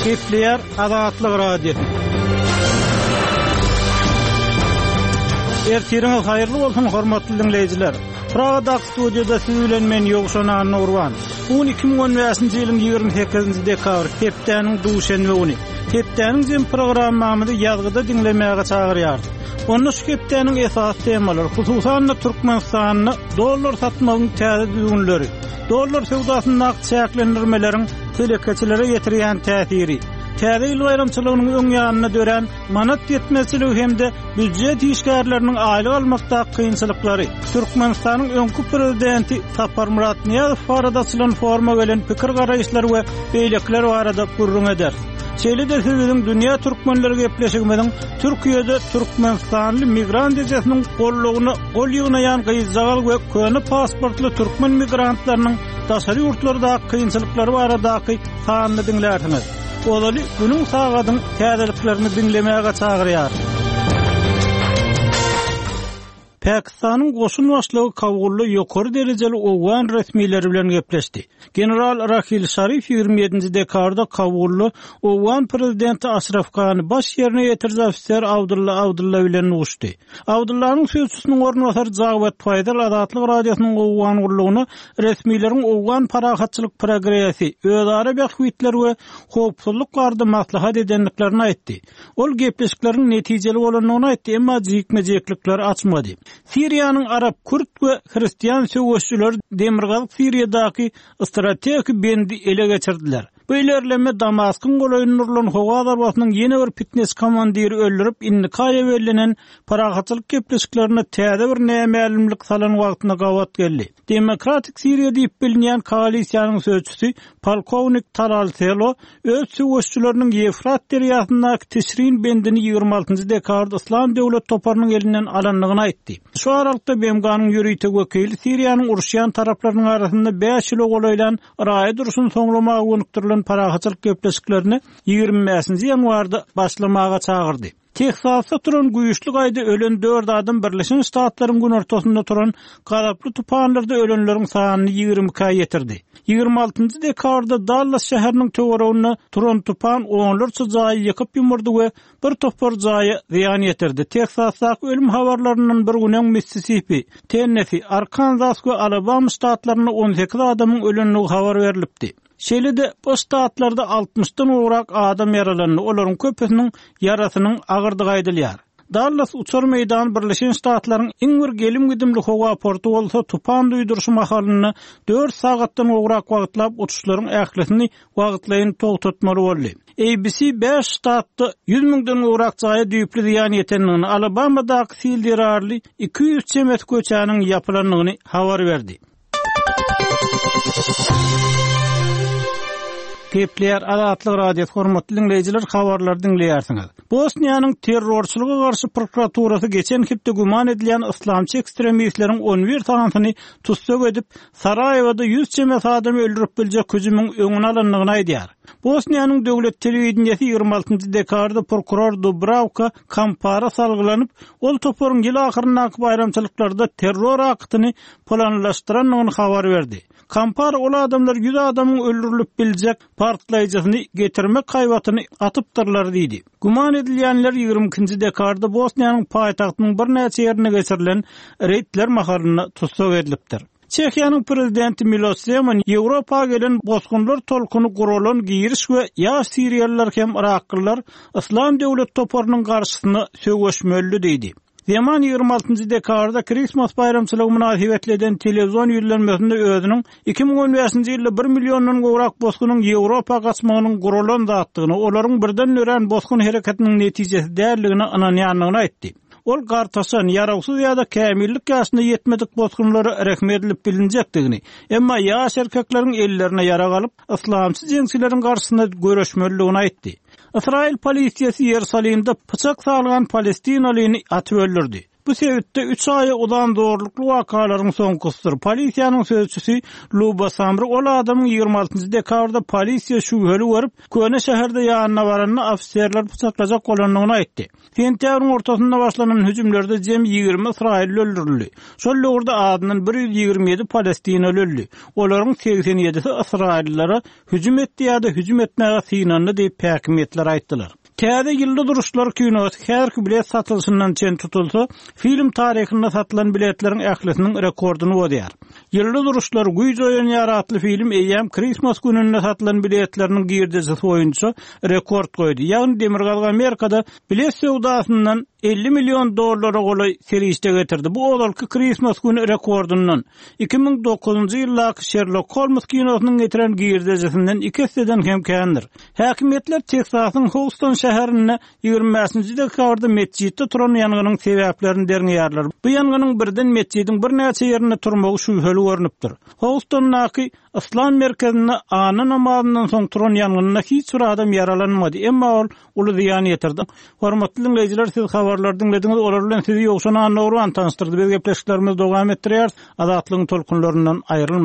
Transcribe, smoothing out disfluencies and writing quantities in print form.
Gepleýär Azatlyk Radiosy. Ertiriňiz haýyrly bolsun, hormatly diňleýjiler. Pragadaky studiýada siz bilen men Ýowşan Annagurban. Bu gün 2015-nji ýylyň 28-nji dekabry, hepdäniň duşenbe güni. Hepdäniň jem programmamyzy ýazgyda diňlemäge çagyrýarys. Onda şu hepdäniň esasy temalary, hususan-da Türkmenistanda dollar satmagyň täze düzgünleri, dollar söwdasyndaky çäklendirmeleriň telekeçilere ýetirýän täsiri, Täze ýyl baýramçylygynyň öň ýanynda dörän manat ýetmezçiligi hem-de býujet işgärleriniň aýlyk almakdaky kynçylyklary, Türkmenistanyň öňki prezidenti Saparmyrat Nyýazow barada açylan foruma gelen pikir-garaýyşlar we beýlekiler barada gürrüň ederis. Şeýle-de siz biziň Dünýä türkmenleri gepleşigimiziň Türkiýede türkmenistanly migrant ejesiniň gollugyna gol ýygnaýan gyzjagaz we köne pasportly türkmen migrantlarynyň daşary ýurtlardaky kynçylyklary baradaky sanyny diňlärsiňiz. Ozaly günüň sagadyň täzeliklerini diňlemäge çagyrýarys. Pakistanyň goşun başlygy Kabulda ýokary derejeli owgan resmileri bilen gepleşdi. General Rahil Şarif 27-nji dekabrda Kabulda owgan prezidenti Aşraf Gani, baş ýerine ýetiriji ofiser Abdulla Abdulla bilen duşdy. Abdullanyň sözçüsiniň orunbasary Jawed Faýzal Azatlyk Radiosynyň Owgan gullugyna resmileriň owgan parahatçylyk progresi, özara bähbitler we howpsuzlyk barada maslahat edendiklerini aýtdy. Ol gepleşikleriň netijeli bolandygyny aýtdy, emma jikme-jiklikleri açmady. Siriýanyň arap, kürt we hristian söweşijileri demirgazyk Siriýadaky strategik bendi ele geçirdiler. Bu ilerleme Damaskyň golaýynda urlan howa zarbasynyň ýene bir pitneçi komandiri öldürip, indiki aýa bellenen parahatçylyk gepleşiklerine täze bir nämälimlik salan wagtyna gabat geldi. Demokratik Siriýa diýip bilinýän koalisiýanyň sözçüsi polkownik Talal Selo öz söweşijileriniň Ýewfrat derýasyndaky Tişrin bendini 26-njy dekabrda Yslam döwlet toparynyň elinden alandygyny aýtdy. Şu aralykda BMG-niň ýörite wekili Siriýanyň uruşýan taraplarynyň arasynda bäş ýyla golaýlan raýat urşuny soňlamaga gönükdirilen parahatçylyk gepleşiklerine 25-nji ýanwarda başlamaga çagyrdy. Teksasda turan güýçli gaýda ölen dört adam Birleşen Ştatlaryň günortasynda turan gazaply tupanlarda ölenleriň sanyny 22-ä ýetirdi. 26-njy dekabrda Dallas şäheriniň töwereginde turan tupan onlarça jaýy ýykyp-ýumurdy we bir topar jaýa zyýan ýetirdi. Teksasdaky ölüm habarlaryndan bir gün öň Missisipi, Tennesi, Arkanzas we Alabama ştatlarynda 18 adamyň ölendigi habar berlipdi. Şeýle-de, bu ştatlarda altmyşdan gowrak adam ýaralandy, olaryň köpüsiniň ýarasynyň agyrdygy aýdylýar. Dallas uçar meýdany Birleşen Ştatlaryň iň bir gelim-gidimli howa porty bolsa, tupan duýduryşy mahalynda dört sagatdan gowrak wagtlap uçuşlaryň ählisini wagtlaýyn togtatmaly boldy. ABC bäş ştatda 100 müňden gowrak jaýa düýpli zyýan ýetendigini, Alabamadaky sil zerarly 200 çemesi köçäniň ýapylandygyny habar berdi. Gepleýär Azatlyk Radiosy hormatly diňleýjiler habarlary diňleýärsiňiz. Bosniýanyň terrorçylyga garşy prokuraturasy geçen hepde güman edilýän yslamçy ekstremistleriň 11 sanysyny tussag edip, Saraýewada 100 çemesi adamy öldürip biljek hüjümiň öňüni alandygyny aýdýar. Bosniýanyň döwlet telewideniýesi 26 dekabrda prokuror Dubrawka Kampara salgylanyp, ol toparyň ýyl ahyryndaky baýramçylyklarda terror aktyny planlaşdyrandygyny habar berdi. Kampar ol adamlar ýüz adamyň öldürilip biljek partlaýjysyny getirmek haýbatyny atypdyrlar diýdi. Güman edilýänler 22-nji dekabrda Bosniýanyň paýtagtynyň birnäçe ýerinde geçirilen reýdler mahalynda tussag edilipdir. Çehiýanyň prezidenti Milos Zeman Ýewropa gelen bosgunlar tolkuny guralan giriş we ýaş siriýalylar hem yraklylar Yslam döwlet toparynyň garşysyna söweşmelidi diýdi. Zeman 26-njy dekabrda Kristmas baýramçylygy mynasybetli eden telewizion ýüzlenmesinde özüniň 2015-nji ýylda bir milliondan gowrak bosgunyň Ýewropa gaçmagynyň guralan zatdygyna, olaryň birden dörän bosgun hereketiniň netijesi däldigine ynanýandygyny aýtdy. Ol gartaşan, ýarawsyz ýa-da kämillik ýaşyna ýetmedik bosgunlara rehim edilip bilinjekdigini, emma ýaş erkekleriň ellerine ýarag alyp, yslamçy jeňçileriň garşysyna göreşmelidigini aýtdy. Ysraýyl polisiýasy Ýerusalimde pyçak salgan palestinalyny atyp öldürdi. Bu sebitde üç aýa uzan zorlukly wakalaryň soňkusydyr. Polisiýanyň sözçüsi Luba Samri ol adamyň 26 dekabrda polisiýa şübheli görüp, Köne şäherde ýanyna baranda ofiserleri pyçaklajak bolandygyny aýtdy. Sentýabryň ortasynda başlanan hüjümlerde jemi 20 ysraýylly öldürildi. Şol döwürde azyndan 127 palestinaly öldi. Olaryň 87-si ysraýyllylara hüjüm etdi ýa-da hüjüm etmäge synandy diýip, häkimiýetler aýtdylar. Täze Ýyldyz uruşlary kinosy häzirki bilet satylyşyndan çen tutulsa, film taryhynda satylan biletleriň ählisiniň rekordyny bozýar. Ýyldyz uruşlary, güýç oýanýar atly film eýýäm Krismas gününde satylan biletleriniň girdejisi boýunça rekord goýdy, ýagny Demirgazyk Amerikada bilet söwdasyndan 50 million dollara golaý serişde getirdi, bu ozalky Krismas güni rekordyndan, 2009-njy ýyldaky Şerlok Holms kinosynyň getiren girdejisinden iki esseden hem kändir. Häkimiýetler Teksasyň Houston şäherinde 25-nji dekabrda metjitde turan ýangynyň sebäplerini derňeýärler. Bu ýangynyň birden metjidiň birnäçe ýerinde turmagy şübheli görnüpdir. Houstondaky Yslam merkezinde anna namazyndan soň turan ýangynda hiç bir adam ýaralanmady, emma ol uly zyýan ýetirdi. Hormatly diňleýjiler, siz habarlary diňlediňiz, olar bilen sizi Ýowşan Annagurban tanyşdyrdy. Biz gepleşiklerimizi dowam etdirýäris. Azatlygyň tolkunlaryndan aýrylmaň.